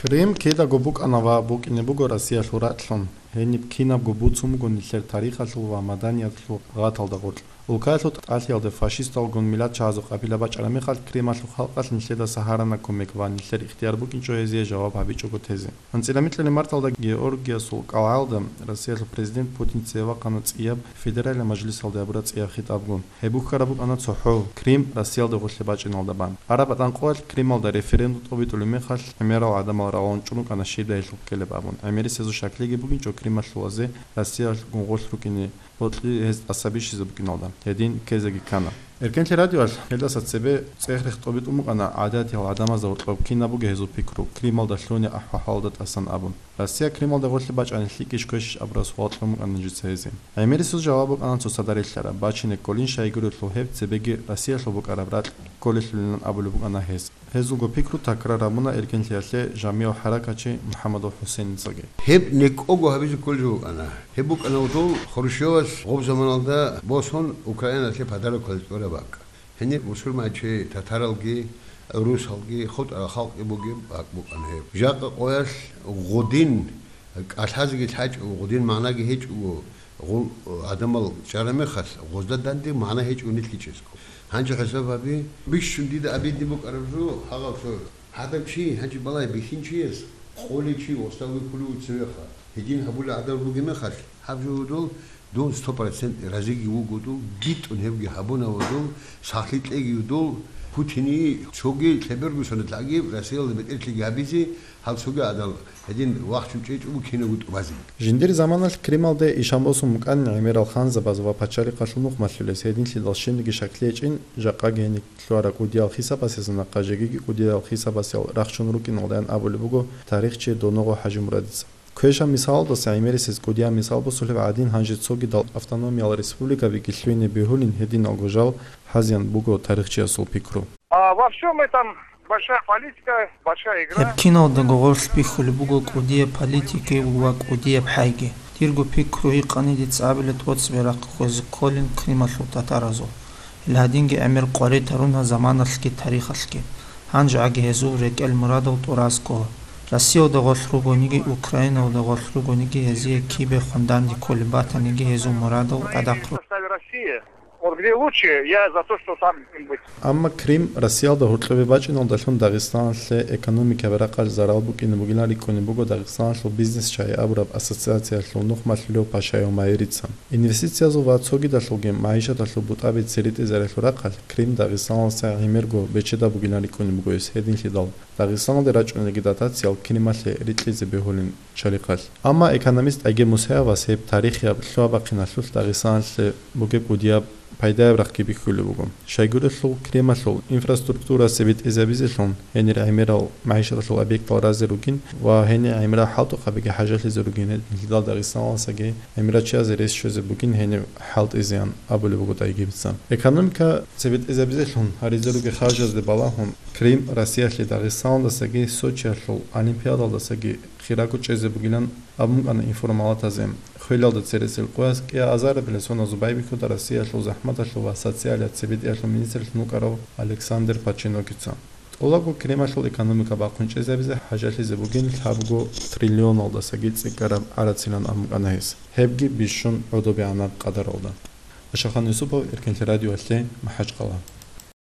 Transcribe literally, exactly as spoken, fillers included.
Крым кидаго букӀана ва букӀине буго Россиялъул ракьлъун. Гьениб кинабго буцун буго нилъер тарихалъул ва маданияталъул гъаталда гъоркь. Улкаялъул тӀалъиялде фашисталгун миллатчагӀазул къабила бачӀараб мехалъ, Крымалъул халкъалъ нилъедаса гьарана кумек ва нилъер ихтияр букӀинчӀо гьезие жаваб гьабичӀого тезе. АнцӀила микьалъ марталда Георгиясул кӀалгӀалда Россиялъул президент Путин цеве вахъана цӀияб федералияб мажлисалде гьабураб цӀияб хитӀабгун. Гьеб бухьараб букӀана цохӀо, Крым Россиялда гъорлъе бачӀиналда бан. Араб батӀан къоялъ Крималда референдум тӀобитӀулеб мехалъ, гӀемерал гӀадамал рагъун чӀун рукӀана щибдай гьелъухъ ккелеб абун. ГӀемерисезул щаклъиги бугинчӀо Крималъулазе Россиялгун гъорлъ рукӀине гьоркье гьез тӀаса бищизе букӀиналда. Гьедин ккезеги ккана. Эркенлъи радиоялъ гьелдаса цебе цӀех-рех тӀобитӀун букӀана гӀадатиял гӀадамазда гьоркьоб кинаб буго гьезул пикру, Крималда лъугьунеб ахӀвал-хӀалалда тӀасан абун. Россия Крималда гъорлъе бачӀани лъикӀищ квешищ абураб суал кьун букӀана жица гьезие. ГӀемерисез жаваб букӀана цоцазда релълъараб, бачине кколин, щайгурелъул гьеб цебеги Россиялъул букӀараб ракь кколелъулилан абулеб букӀана гьес. Гьезулго пикру такрар гьабуна Эркенлъиялъе жамигӀ хӀаракатчи МухӀаммадул ХӀусейницаги. Гьеб некӀого гьабизе кколеб жо букӀана. Гьеб букӀана гьудул Хрущевас гъоб заманалда босун Украиналъе подарок кьезе тӀураб бакӀ. Гьениб бусурманчи татаралги, русалги, хутӀарал халкъги бугеб бакӀ букӀана гьеб. Жакъа къоялъ гъудин кӀалъазеги лъачӀого, гъудин магӀнаги гьечӀого, гъул гӀадамал чӀараб мехалъ, гъозда данде магӀна гьечӀого нилъги чӀезго. Гьанже хӀисаб гьабе, бищун дида обидный букӀараб жо, гьагъав цо гӀадав чи, гьанже балай бихьинчияс, къолей чи, гъосда вихьулев цевеха. Гьедин гьабулел гӀадал ругеб мехалъ, гьаб жо гьудул, дун сто процент разиги вуго дул, битӀун гьебги гьабуна ва дул, сахлъи кьеги дул, Путине цоги лъеберго соналъ гьагиб Россиялда бетӀерлъиги гьабизе, гьал цоги гӀадал гьедин вахчун чӀечӀого кинабго тӀубазе. Жиндир заманалъ Крималде ишан босун букӀанин гӀемерал ханзабаз ва пачалихъалъул нухмалъулез, гьединлъидал щибниги щаклъи гьечӀин, жакъаги гьениб лъугьараб кӀудиял хисабасезул нахъа жегиги кӀудиял хисабасел рахчун рукӀиналдаян абулеб буго тарихчи Доногъо ХӀажимурадица. Квешаб мисалалдаса гӀемерисез кӀудияб мисал босулеб гӀадин, гьанже цогидал автономиял республикабиги лъугьине бегьулин гьединалго жал гьазеян буго тарихчиясул пикру. А во всём этом большая политика, большая игра. Гьеб киналдаго гъорлъ бихьулеб буго кӀудияб политикаги ва кӀудияб хӀайги. Дирго пикру гьикъани, дица абила тӀоцебе рахъ хвезе кколин Крималъул татаразул. Гьел гьадинги гӀемер къваритарун гьаб заманалъги тарихалъги. Гьанжеги гьезул рекӀел мурадал тӀуразго. Россиялда гъорлъ ругониги, Украиналда гъорлъ ругониги гьезие кибехун данде кколеб батаниги гьезул мурадал гӀадахъ ру. В составе России. Вот где лучше, я за то, что там быть. Амма Крым Россиялда гьоркьобе бачӀиналдалъун Дагъистаналъе экономикаялъ ракъалъ зарал букӀине бугилан рикӀкӀунеб буго Дагъистаналъул бизнес чагӀи абураб ассоциациялъул нухмалъулев Пашаев Майрица. Инвестициязул ва цогидалъулги магӀишаталъул бутӀаби цере тӀезарелъул рахъалъ Крым Дагъистаналдаса гӀемерго бечедаб бугилан рикӀкӀунеб буго гьес гьединлъидал. Дагъистаналде рачӀунелги дотациялъ Крималъе рикьизе бегьулин чалихъалъ. Амма экономист Айгер Мусаевас гьеб тарихияб лъугьа-бахъиналъулъ Дагъистаналъе бугеб кӀудияб пайдаяб рахъги бихьулеб буго. Щайгурелъул Крималъул инфраструктура цебетӀезабизелъун гьенир гӀемерал магӀишаталъул объектал разе ругин ва гьенир гӀемерал хӀалтӀухъабиги хӀажалъизе ругин гьединлъидал Дагъистаналдасаги гӀемерачиязе рес щвезе бугин гьениб хӀалтӀизеян абулеб буго Айгерица. Экономика цебетӀезабизелъун гьаризе ругел харжазде балагьун, Крым Россиялъе Дагъистаналдасаги Сочиялъул Олимпиадалдасаги хирого чӀезе бугилан абун букӀана информалатазе. Хвелалда цересел къояс кӀиабилеб азарабилеб соназул байбихьуда Россиялъул захӀматалъул ва социалияб цебетӀиялъул министрлъун вукӀарав Александр Паченокица. ТӀолабго Крималъул экономика бахъун чӀезабизе хӀажалъизе бугин лъабго триллионалдасаги цӀикӀкӀараб гӀарацилан абун букӀана гьес. Гьебги бищун гӀодобегӀанаб къадаралда. Ашахан Юсупов, Эркенлъи радиоялъе, МахӀачкъала.